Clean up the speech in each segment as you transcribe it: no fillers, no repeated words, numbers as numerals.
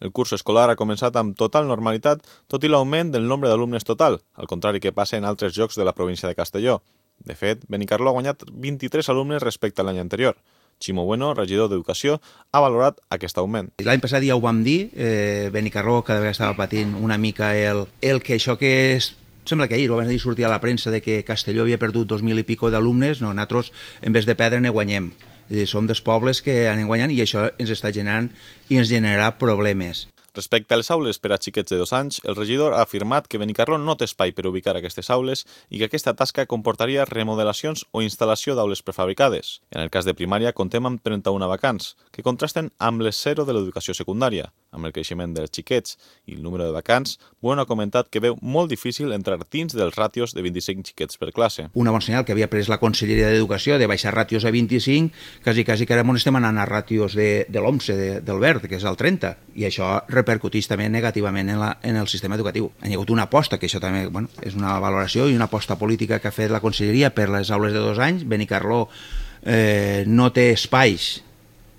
El curs escolar ha començat amb total normalitat, tot i l'augment del nombre d'alumnes total, al contrari que passa en altres llocs de la província de Castelló. De fet, Benicarló ha guanyat 23 alumnes respecte a l'any anterior. Ximo Bueno, regidor d'Educació, ha valorat aquest augment. L'any passat ja ho vam dir, Benicarló cada vegada estava patint una mica el que això que és. Sembla que ahir ho van dir, sortir a la premsa de que Castelló havia perdut 2.000 i pico d'alumnes. No, nosaltres, en vez de perdre, ne guanyem. Som dels pobles que anem guanyant i això ens està generant i ens generarà problemes. Respecte a les aules per a xiquets de 2 anys, el regidor ha afirmat que Benicarló no té espai per ubicar aquestes aules i que aquesta tasca comportaria remodelacions o instal·lació d'aules prefabricades. En el cas de primària, contem amb 31 vacants, que contrasten amb les 0 de l'educació secundària. Amb el creixement dels xiquets i el número de vacants, Bueno ha comentat que veu molt difícil entrar dins dels ràtios de 25 xiquets per classe. Una bona senyal que havia pres la Conselleria d'Educació de baixar ràtios a 25, quasi que ara estem anant a ràtios de l'OMSE, del verd, que és el 30, i això repercuteix també negativament en el sistema educatiu. Ha hagut una aposta, que això també és una valoració i una aposta política que ha fet la Conselleria per les aules de 2 anys. Benicarló no té espais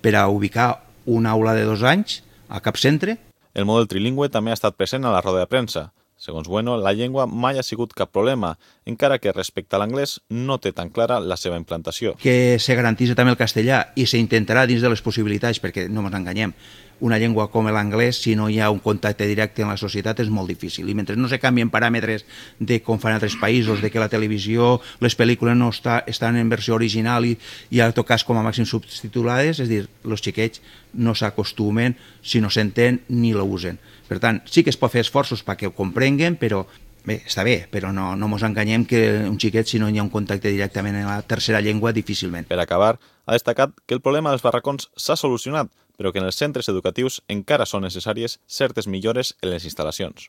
per a ubicar una aula de 2 anys a cap centre. El model trilingüe també ha estat present a la roda de premsa. Segons Bueno, la llengua mai ha sigut cap problema, encara que respecte a l'anglès no té tan clara la seva implantació. Que se garantís també el castellà i s'intentarà dins de les possibilitats, perquè no ens enganyem, una llengua com l'anglès, si no hi ha un contacte directe amb la societat, és molt difícil. I mentre no se canvien paràmetres de com fan altres països, de que la televisió, les pel·lícules no estan en versió original i en tot cas com a màxim subtitulades, és a dir, els xiquets no s'acostumen si no s'entén ni la usen. Per tant, sí que es pot fer esforços perquè ho comprenguen, però bé, està bé, però no ens enganyem que un xiquet, si no hi ha un contacte directament en la tercera llengua, difícilment. Per acabar, ha destacat que el problema dels barracons s'ha solucionat, però que en els centres educatius encara són necessàries certes millores en les instal·lacions.